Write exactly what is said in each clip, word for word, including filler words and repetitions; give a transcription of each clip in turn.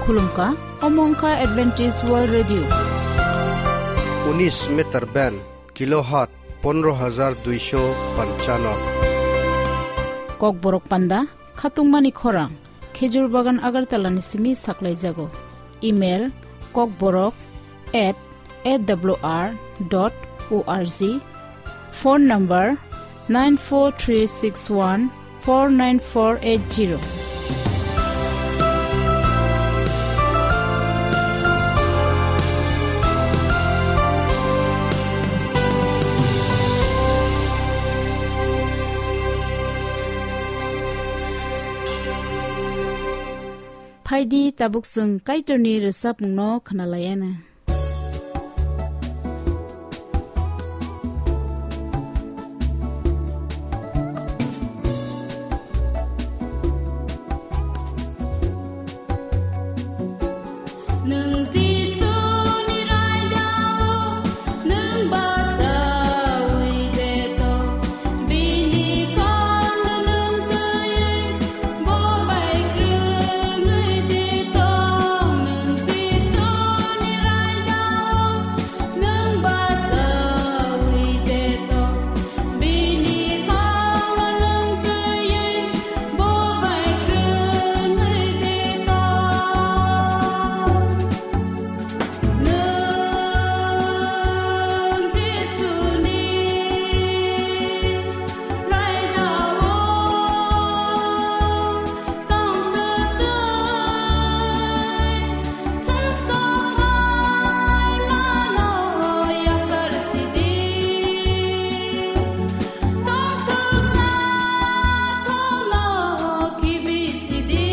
Khulumkha, omo wngkha Adventist World Radio. Unis meter band, kilohertz pondro hajar duisho panchano. Kokborok panda, khatungmani khorang, Khejur Bagan Agartala ni simi saklaijago. Email, kokborok at A W R dot O R G. Phone number nine four three six one four nine four eight zero. Phaidi tabuk chwng Kaitorni rwchapmungno khwnalaiana. Nwng Jisuni raidao, nwng bachaui de to, bini kokno nwng twiwi, bo bai kwrwngwi de to, nwng Jisuni raidao, nwng bachaui de to, bini kokno nwng twiwi, bo bai kwrwngwi de to. Nwng Jisuni raidao tong twtwi, sumsok hai mano yakar sidi. Tong twsa thono khibi sidi.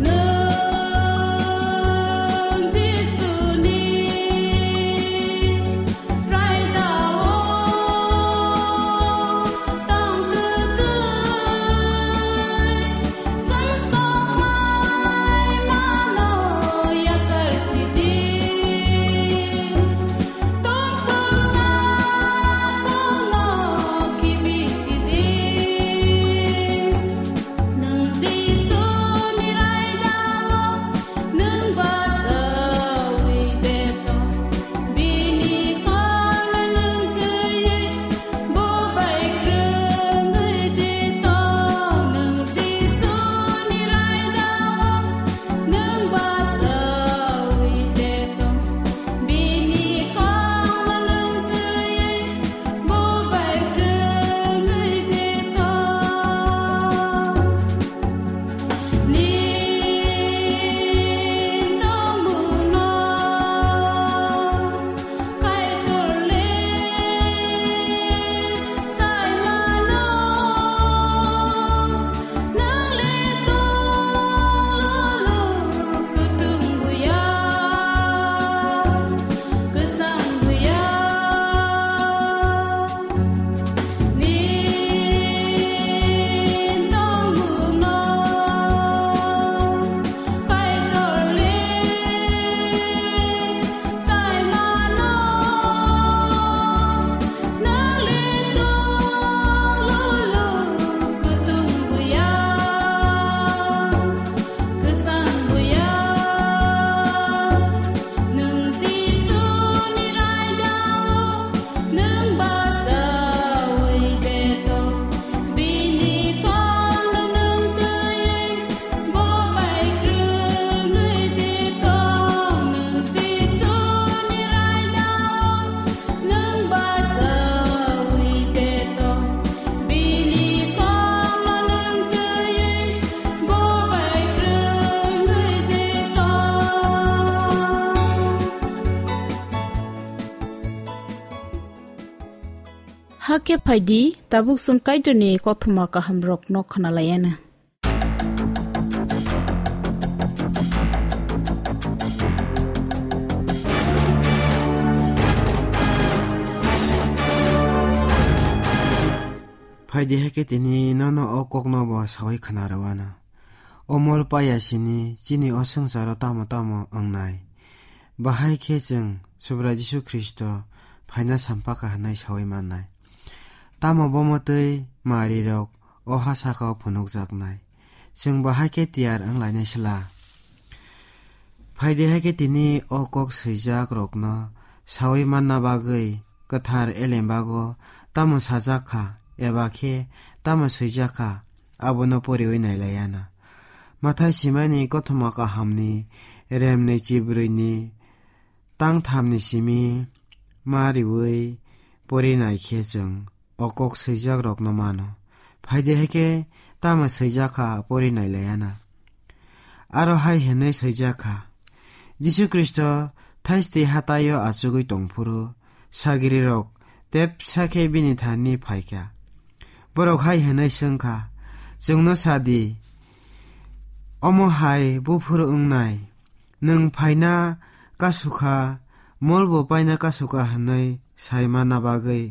Nwng Jisuni raidao tong twtwi, sumsok hai mano yakar sidi. Tong twsa thono khibi sidi. Nwng Jisuni raidao, nwng bachaui de to, bini kokno nwng twiwi, bo bai kwrwngwi de to. Nwng Jisuni raidao, nwng bachaui de to, bini kokno nwng twiwi, bo bai kwrwngwi de to. Nini tongmungno Kaitor le sai mano, nwng le tong lolo kwthwng buya, kwchang buya. Nini tongmungno Kaitor le sai mano, nwng le tong lolo kwthwng buya, kwchang buya. Nwng Jisuni raidao, nwng bachaui de to, bini kokno nwng twiwi, bo bai kwrwngwi de to. Nwng Jisuni raidao, nwng bachaui de to, bini kokno nwng twiwi, bo bai kwrwngwi de to. Hakhe phaidi, tabuk chwng Kaitorni kothoma kahamrokno khwnalaiana. Phaidi, hakhe tini nono o kokno bo saui khna rwano. O mol paya sini chini o swngcharo tamo tamo wngnai. Bahai khe chwng Subrai Jisu Khristo phaina sampakha hwnwi saui mannai. Tamo bomo twi marirok o ha sakao phunukjaknai. Chwng bo hai khe tiyar wng lainai sla. Phai di, hai khe tini o kok swijak rokno saui manna bagwi kwthar elembago tamo sajak kha eba khe tamo swijak kha, abono poriui nai lai ya na. Mathai simani kothoma kahamni remni chibrwini tangthamni simi ma riui pori nai khe chwng o kok swijak rokno mano. Phai di, hai khe tamo swijak kha, pori nai lai ya na. Aro hai hwnwi swijak kha, Jisu Khristo thaisti hataio achugwi tong phuru sagri rok tepsa khe bini thani phai kha. Borok hai hwnwi swng kha, "Chwngno sa di, omo hai buphuru wngnai? Nwng phaina kasu kha, molbo paina kasu kha hwnwi sai manna bagwi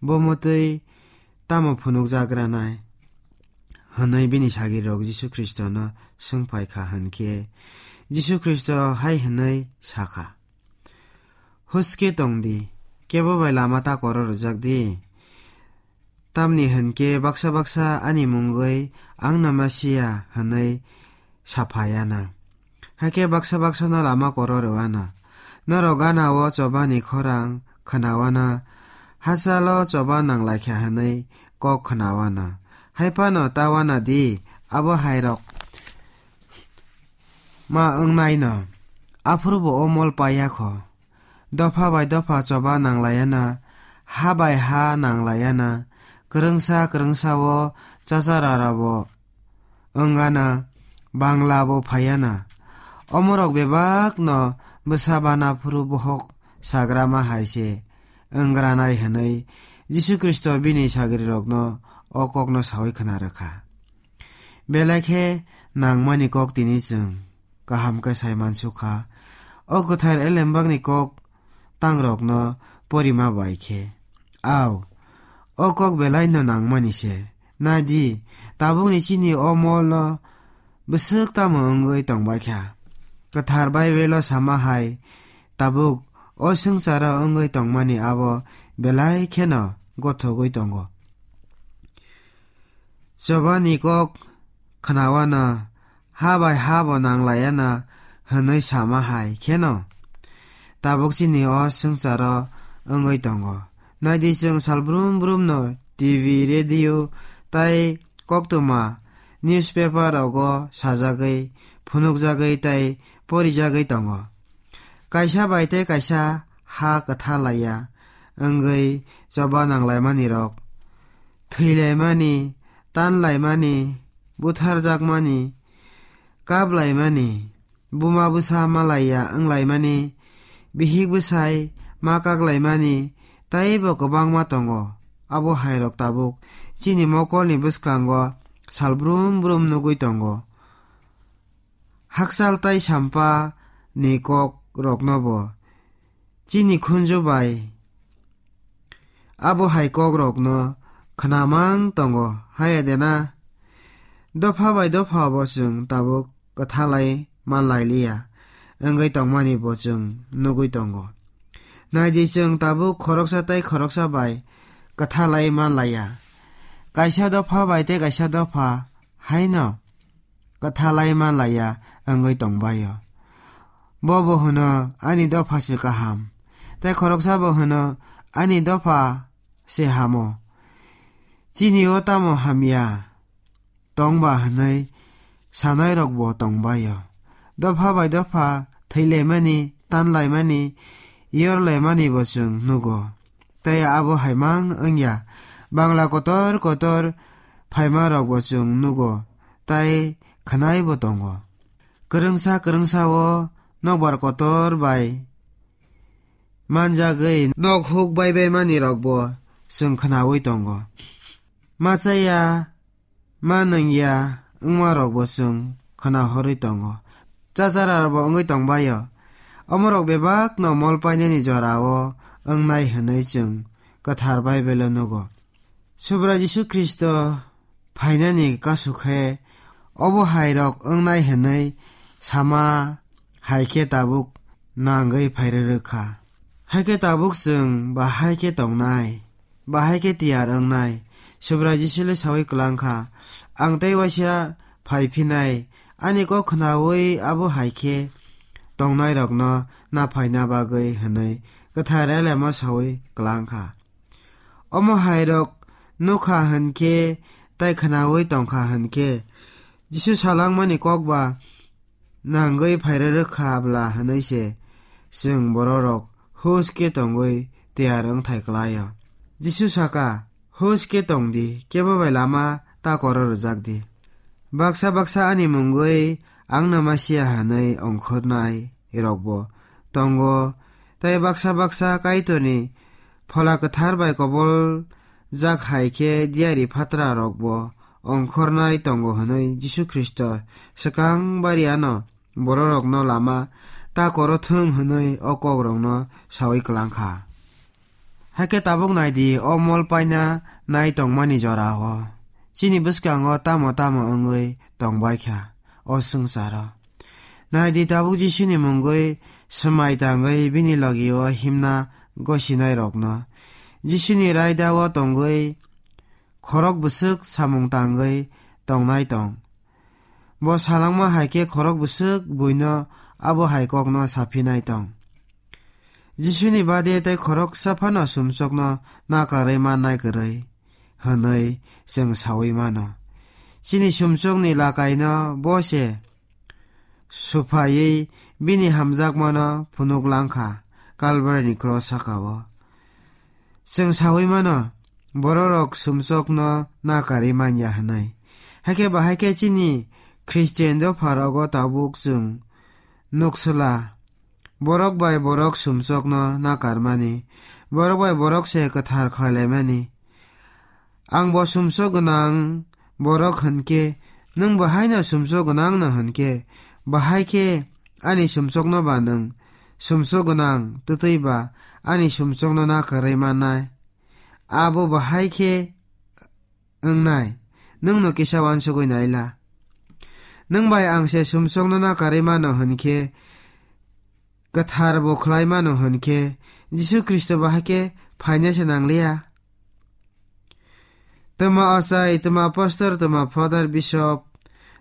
bo mwtwi tamo phunukjak ranai?" hwnwi bini sagri rok Jisu Khristono swng phai kha hwn khe, Jisu Khristo hai hwnwi sa kha, "Huske tong di, kebo bai lama ta koro rwjak di. Tamni hwn khe baksa baksa ani mungwi ang no Mesia hwnwi sa phai ya na. Hakhe baksa baksa no lama koro rw ano. Norok gana o choba ni khorang khwna o na, hachal o choba nang lai kha hwnwi kok khwna o na. Hai phano ta uana di, abo hai rok ma wng nai no. Aphuru bo o mol pa ya kho. Dopha bai dopha choba nang lai ya na, ha bai ha nang lai ya na, kwrwngsa kwrwngsa o chachara rabo wng ana, bangla bo phai ya na. Omorok bebak no bwsa bana phuru bohok sagrama hai se wng ranai," hwnwi Jisu Khristo bini sagri rokno o kokno saui khwna rw kha. Belai khe nangmani kok tini chwng kaham khe sai mansukha. O kwthar elembakni kok tangrokno porima bai khe, au, o kok belaino nangmani se. Nai di, tabukni chini o molno bwswk tamo wngwi tongbai kha. Kwthar Baibelo sama hai, tabuk o swngcharo wngwi tongmani abo belai kheno gothogwi tongo. Chobani kok khwna uana, ha bai ha bo nang lai ya na hwnwi sama hai kheno tabuk chini o swngcharo wngwi tongo. Nai di, chwng sal brum brum no T V, radio tai koktwma newspaper rogo sajagwi, phunukjagwi tai porijagwi tongo. Kaisa bai tei kaisa ha kwtha laiya wngwi choba nang laimani rok, thwi laimani, tan laimani, buthar jakmani, kap laimani, buma bwsa ma laiya wng laimani, bihik bwsai ma kak laimani, tei bo kwbangma tongo. Abo hai rok tabuk chini mokolni bwskango sal brum brum nugwi tongo. Hakchal tai sampa ni kok rokno bo chini khunju bai abo hai kok rokno khwnamang tongo, haya de na? Dopha bai dopha bo chwng tabuk kwthalai man lai liya wngwi tongmani bo chwng nugwi tongo. Nai di, chwng tabuk khoroksa tai khoroksa bai kwthalai man laiya. Kaisa dopha bai tei kaisa dopha haino kwthalai man laiya wngwi tongbaio. Bo bo hwno, "Ani dopha se kaham." Tei khoroksa bo hwno, "Ani dopha se hamo." Chini o tamo hamya tongba hwnwi sanai rok bo tongbaio. Dopha bai dopha thwi laimani, tan laimani, yor laimani bo chwng nugo. Tei abo hai mang wngya, bangla kotor kotor phaima rok bo chwng nugo, tai khwnai bo tongo. Kwrwngsa kwrwngsa o nokbar kotor bai manjagwi nok huk bai bai mani rok bo chwng khwnaui tongo. Machaya ma nungya wngma rok bo chwng khwna horwi tongo. Chachara rok bo wngwi tongbaio. Omo rok bebak no mol painani jora o wngnai hwnwi chwng kwthar Baibelo nugo. Subra Jisu Khristo phainani kasu khe obo hai rok wngnai hwnwi sama hai khe tabuk nangwi phairwi rwkha. Hai khe tabuk chwng bahai khe tongnai, bahai khe tiyar wngnai. Subra Jisu le saui kwlang kha, "Ang tei waisa phaiphinai, ani kok khnaui abo hai khe tongnairokno naphaina bagwi hwnwi kwthar elemo saui kwlang kha. Omo hairok nukha hwn khe tei khnaui tongkha hwn khe, Jisu salangmani kok ba nangwi phairwrwk kha bla hwnwi se chwng bororok hus khe tongwi tiyar wngthai klai-o. Jisu saka, "Hus khe tong di, kebo bai lama ta koro rwjak di." Baksa baksa ani mungwi ang no Masia hwnwi ongkhornai rokbo tongo, tei baksa baksa Kaitorni Phola Kwthar bai kobol jak hai khe diyari phatra rokbo ongkhornai tongo hwnwi Jisu Khristo swkang bari ano bororokno lama ta koro thung hwnwi o kokrokno saui kwlang kha. Hakhe tabuk nai di, o mol paina nai tongmani jora-o chini bwskango tamo tamo wngwi tong bai kha o swngcharo. Nai di, tabuk Jisuni mungwi swmai tangwi bini logi-o himna gosinairokno, Jisuni raida-o tongwi khorok bwswk samung tangwi tongnai tong. Bo salangma hai khe khorok bwswk buino abo hai kokno saphinai tong. Jisuni bade tei khoroksa phano sumsokno nakarwi mannai kwrwi hwnwi chwng saui mano. Chini sumsokni lakaino bo se suphaiwi bini hamjakmano phunuk lang kha Kalvarini kros saka-o. Chwng saui mano, bororok sumsokno nakarwi manya hwnwi. Hakhe bahai khe chini Khristian dopharogo tabuk chwng nuksla, borok bai borok sumsokno nakarmani, borok bai borok se kwthar khlailaimani. Ang bo sumsok gwnang borok hwn khe, nwng bo haino sumsok gwnang no hwn khe, bahai khe ani sumsokno ba nwng sumsok gwnang twtwi ba ani sumsokno nakarwi mannai. Abo bahai khe wngnai, nwng no kisa uansugwi naila. Nwng bai ang se sumsokno nakarwi mano hwn khe, kwthar bo khlai mano hwn khe, Jisu Khristo bahai khe phaina se nangliya. Twma ochai, twma pastor, twma father, bishop,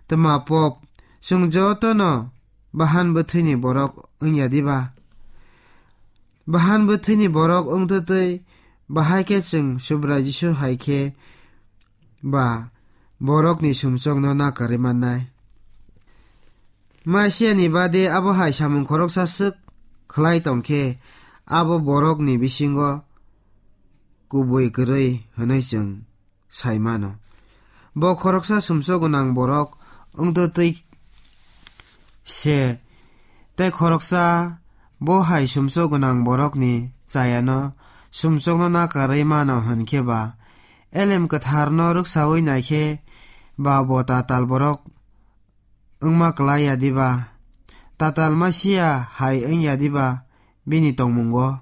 twma pope, chwng jotono bahan bwthwini borok wngya diba? Bahan bwthwini borok wngtwtwi bahai khe chwng Subrai Jisu hai khe ba borokni sumsokno nakarwi mannai. Masiani bade abo hai samung khoroksa swk khlai tong khe, abo borokni bisingo kubui kwrwi hwnwi chwng sai mano. Bo khoroksa sumsok gwnang borok wngtwtwi se, tei khoroksa bo hai sumsok gwnang borokni chayano sumsokno nakarwi mano hwn khe ba, elem kwtharno rwksaui nai khe ba bo tatal borok wngma klai ya diba? Tatal Masia hai wng ya diba bini tongmungo?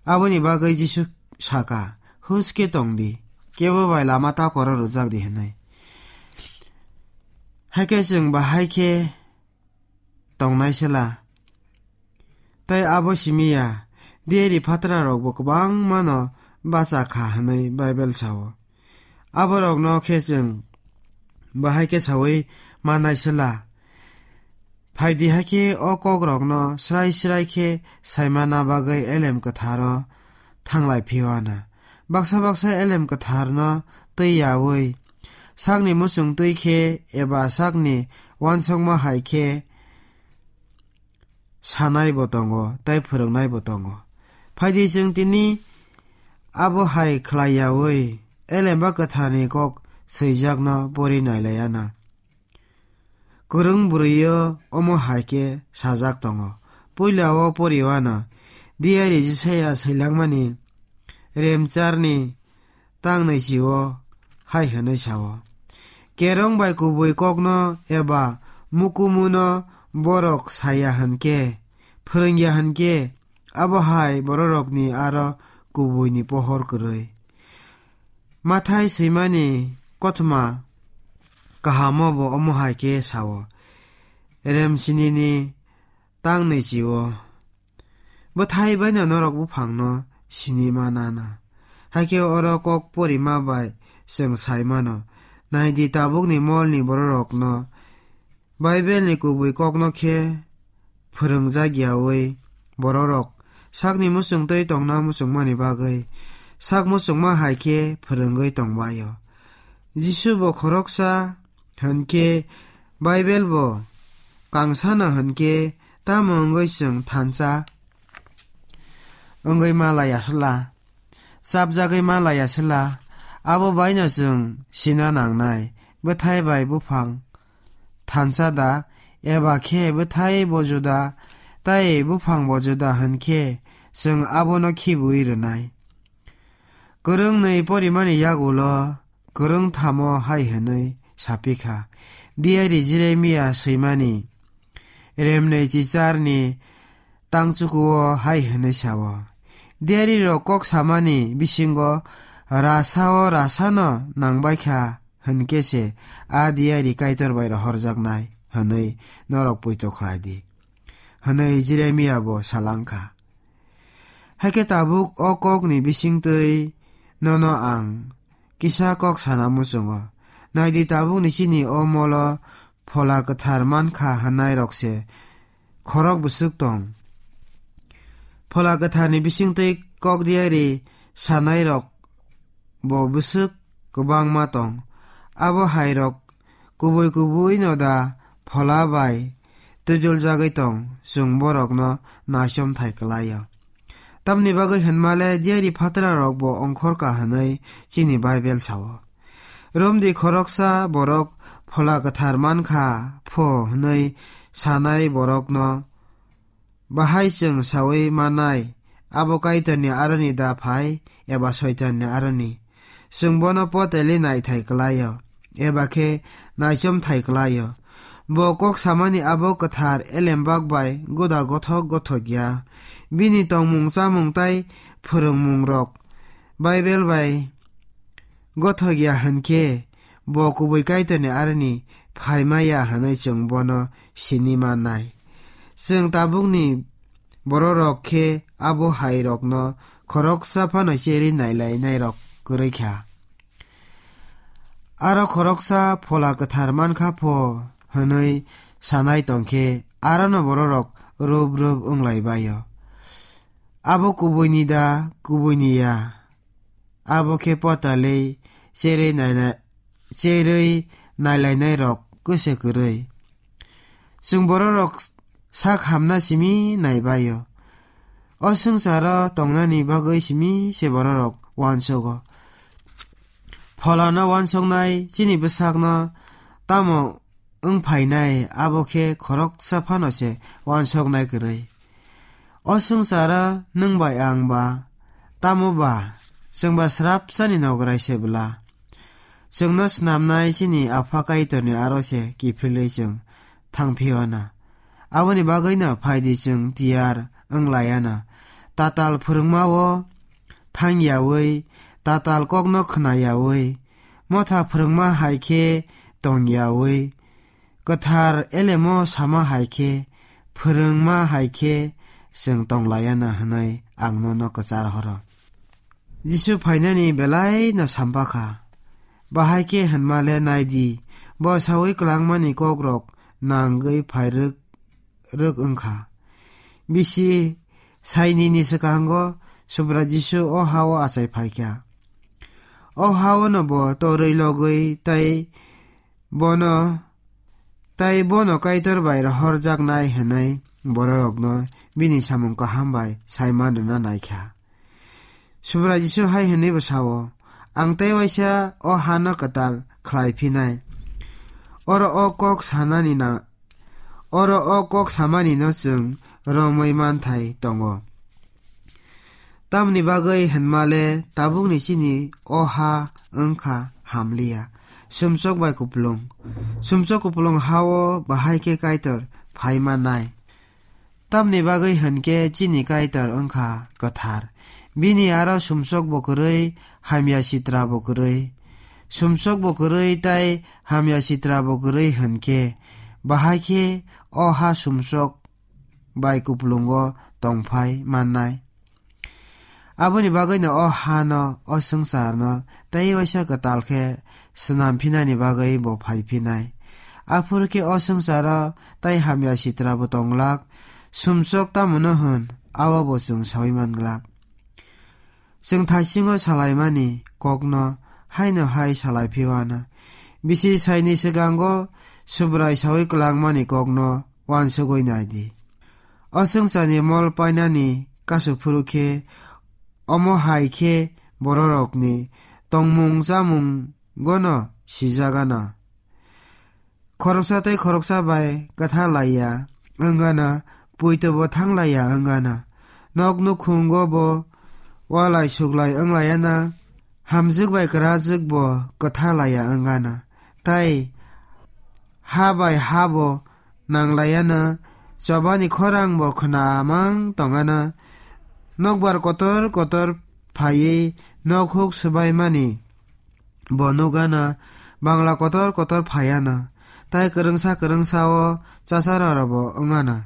Aboni bagwi Jisu saka, "Hus khe tong di, kebo bai lama ta koro rwjak di," hwnwi. Hakhe chwng bahai khe tongnai sela. Tei abo simi ya, diyari phatrarokbo kwbangmano bacha kha hwnwi Bible sao. Aborokno khe chwng bahai khe saui mannai sela. Phai di hakhe o kokrokno srai srai khe saimana bagwi elem kwtharo thanglai phiyana. Baksa baksa elem kwtharno twi yaui sakni muchung twi khe eba sakni uansukma hai khe sanai bo tongo tei phwrwngnai bo tongo. Phai di chwng tini abo hai khlai yaui elemba kwtharni kok swijakno pori nailaiana. Kwrwng bwrwi-o omo hai khe sajak tongo. Puila-o poriwano diyari Jisaya swilangmani remcharni tangnwi chi-o hai hwnwi sao, "Kerong bai kubui kokno eba mukumuno borok saya hwn khe, phwrwngya hwn khe, abo hai bororokni aro kubuini pohor kwrwi." Mathai swimani kothoma kahamo bo omo hai khe sao, "Remsinini tangnwi chi-o, bwthai baino norok buphangno sini manana." Hakhe oro kok porima bai chwng sai mano, Naidi, tabukni molni bororokno Baibelni kubui kokno khe phwrwngjak yaui bororok sakni muchungtwi tongna muchungmani bagwi sak muchungma hai khe phwrwngwi tongbaio. Jisu bo khoroksa hwn khe Baibel bo kangsano hwn khe tamo wngwi chwng thansa wngwi ma laiya sla, chapjagwi ma laiya sla, abo baino chwng sina nangnai, bwthai bai buphang thansa da, eba khe bwthai bo juda, tai buphang bo juda hwn khe chwng abono khibiui rwnai. Kwrwngnwi porimani yagulo kwrwngthamo hai hwnwi sapikha, Diari Jeremia swimani remnwi chicharni tangchukuo hai hwnwi sao, Diarirok kok samani bisingo rasa-o rasano nangbaikha hwn khe se a diari Kaitor bai rohorjaknai hwnwi norok poito khlai di, hwnwi Jeremia bo sa lang kha. Hakhe tabuk o kokni bisingtwi nono ang kisa kok sana muchungo. Naidi, tabukni chini o molo Phola Kwthar man kha hwnnairok se khorok bwswk tong. Phola Kwtharni bisingtwi kok diari sanairok bo bwswk kwbangma tong. Abo hairok kubui kubui no da phola bai twiduljagwi tong, chwng borokno naichomthai kwlaio. Tamni bagwi hwnmale diari phatrarokbo ongkhorka hwnwi chini Baibel sao. Romdi, khoroksa borok Phola Kwthar man kha pho hwnwi sanai borokno bahai chwng saui mannai, abo Kaitorni aroni da phai eba Soitanni aroni? Chwng bono potelwi naithai kwlaio, eba khe naichomthai kwlaio. Bo kok samani abo kwthar elembak bai guda gothok gothok ya. Bini tongmung chamung tai phwrwngmungrok Baibel bai gothok ya hwn khe, bo kubui Kaitorni aroni phaima ya hwnwi chwng bono sini mannai. Chwng tabukni bororok khe abo hairokno khoroksa phano cherwi nailainairok kwrwi kha. Aro khoroksa Phola Kwthar man kha pho hwnwi sanai tong khe, arono bororok rup rup wng lai bai-o. Abo kubuini da, kubuini ya? Abo khe potalwi cherwi naina-, cherwi nailainairok kwse kwrwi. Chwng bororok sak hamna simi nai bai-o. O swngcharo tongnani bagwi simi se bororok uansugo. Pholano uansuknai chini bwsakno tamo wng phainai, abo khe khoroksa phano se uansuknai kwrwi. O swngcharo nwng bai ang ba tamo ba, chwng ba srapsani nograi se bwla. Chwngno snamnai chini Apha Kaitorni aro se kiphilwi chwng thang phiyana. Aboni bagwino phaidi chwng tiyar wng laiana. Tatal phwrwngma-o thang yaui, tatal kokno khna yaui, motha phwrwngma hai khe tong yaui, kwthar elemo sama hai khe, phwrwngma hai khe chwng tong laiana hwnwi ang nono kwchar horo. Jisu phainani belai no sampha kha. Bahai khe hwnma le nai di, bo saui kwlangmani kokrok nangwi phai rwk, rwk wng kha. Bisi sainini swkango Subra Jisu o ha-o achai phai kha. O ha-o no bo torwi logwi tei bono, tei bono Kaitor bai rohorjaknai hwnwi bororokno bini samung kaham bai sai man rwna nai kha. Subrai Jisu hai hwnwi bo sao, "Ang tei waisa o hano kwtal khlai phinai. Oro o kok sanani na, oro o kok samani no chwng romwi manthai tongo." Tamni bagwi hwnmale tabukni chini o ha wngkha hamliya, sumsok bai kupulung. Sumsok kupulung ha-o bahai khe Kaitor phai mannai. Tamni bagwi hwn khe chini Kaitor wngkha kwthar. Bini aro sumsok bo kwrwi, hamya sitra bo kwrwi. Sumsok bo kwrwi tei hamya sitra bo kwrwi hwn khe, bahai khe o ha sumsok bai kupulungo tongphai mannai. Aboni bagwino o hano, o swngcharno tei waisa kwtal khe swnam phinani bagwi bo phai phinai. Aphuru khe o swngcharo tei hamya sitra bo tong glak, sumsok tamo no hwn, abo bo chwng saui man glak. Chwng thaisingo salaimani kokno haino hai salai phiwana. Bisi saini swkango Subrai saui kwlangmani kokno uansugui nai di. O swngcharni mol painani kasu phuru khe, omo hai khe bororokni tongmung chamung gono sijagana. Khoroksa tei khoroksa bai kwtha laiya wngana, puito bo thang laiya wngana, nok nukhungo bo walai suklai wng laiya na, hamjwk bai kwrajwk bo kwtha laiya wngana, tei ha bai ha bo nang laiya na, chobani khorang bo khna mang tongana, nokbar kotor kotor phaiwi nok huk swbaimani bo nugana, bangla kotor kotor phaiana, tai kwrwngsa kwrwngsa o chasararo bo wngana.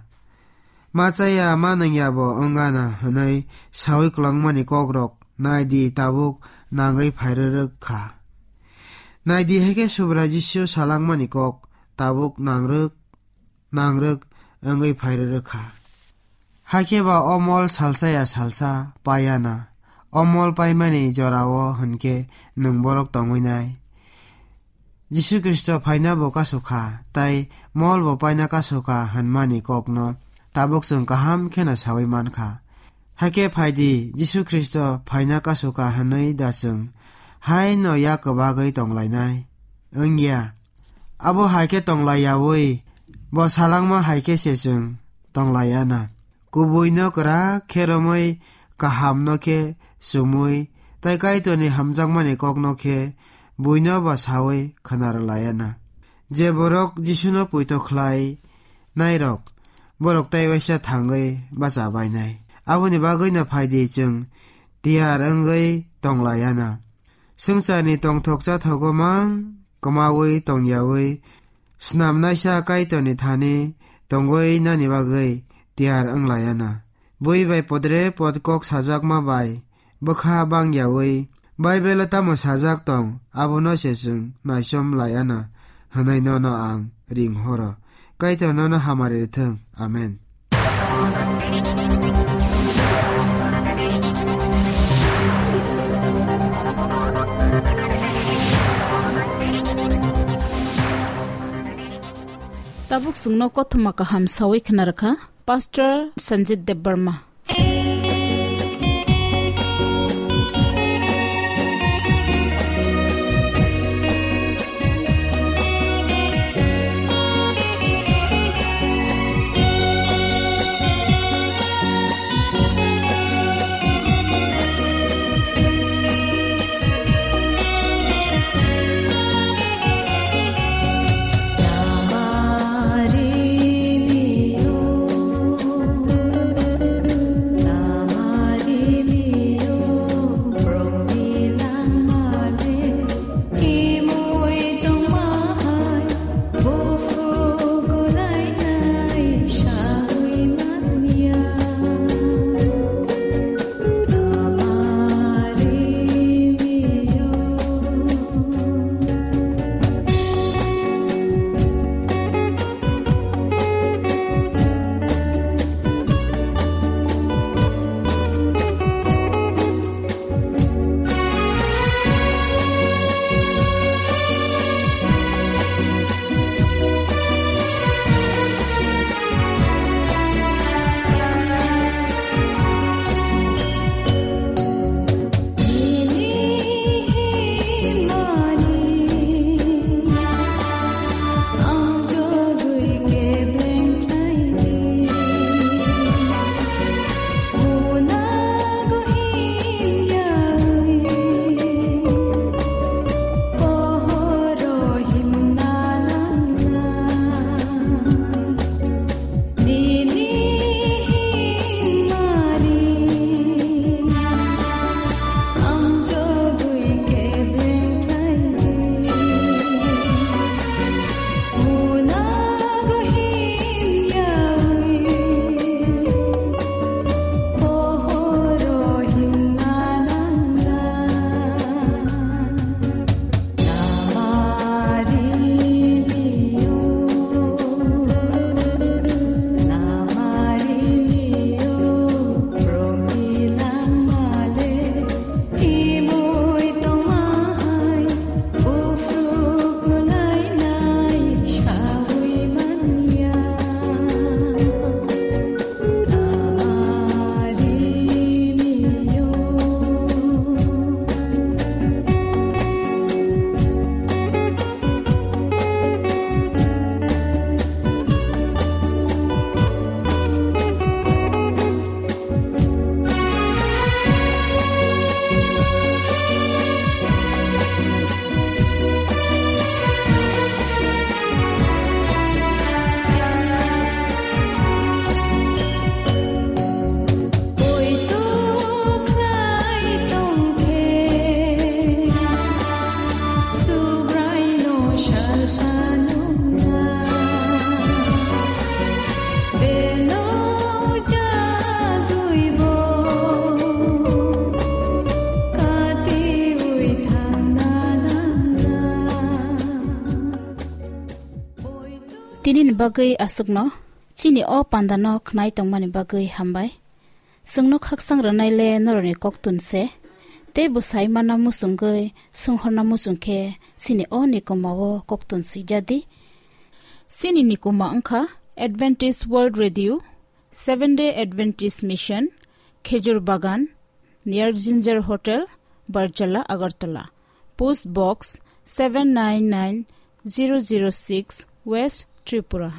Ma chaya ma nangya bo wngana hwnwi saui kwlangmani kokrok nai di, tabuk nangwi phairwrwk kha. Nai di, hai khe Subrai Jisu salangmani kok tabuk nangrwk nangrwk wngwi phairwrwk kha. Hakhe ba o mol salsa ya salsa paiya na. O mol paimani jorao hwnkhe nwng borok tongwi nai. Jisu Khristo phaina bo kasu kha, tai mol bo paina kasu kha hwnmani kokno tabuk chwng kaham kheno saui man kha. Hakhe phai di, Jisu Khristo phaina kasu kha hwnwi da chwng haino yak kwbagwi tong lainai? Wng ya. Abo hai khe tong laiyaui, bo salangma hai khe se chwng tong laiya na. Kubuino kwrak khe romwi, kahamno khe chumui, tai Kaitorni hamjakmani kokno khe buino ba saui khna rw laiya na. Je borok Jisuno poito khlai nairok, borok tai waisa thangwi bacha bainai. Aboni bagwino phai di, chwng tiyar wngwi tong laiya na. Swngcharni tongthok chathogo mang kwmaui tongyaui, snamnaisa Kaitorni thani tongwi nani bagwi tiyar wng laiya na. Bui bai podre pod kok sajakma bai bwkha bangyaui, Baibelo tamo sajak tong, abono se chwng naichom laiya na hwnwi nono ang ring horo. Kaitor nono hamari rwthwng. Amen. Tabuk chwngno kothoma kaham saui khna rwkha Pastor Sanjit Debbarma. Nini bagwi aswkno chini o pandano khnai tongmani bagwi hambai. Chwngno khaksang rwnaile norokni koktun se. Tei bwsai mana muchungwi swnghorna muchung khe chini o nikuma o koktun swijadi. Chini nikuma wngkha Adventist World Radio, Seventh Day Adventist Mission, Khejur Bagan, near Ginger Hotel, Barjala, Agartala. Post Box seven nine nine zero zero six, West Tripura.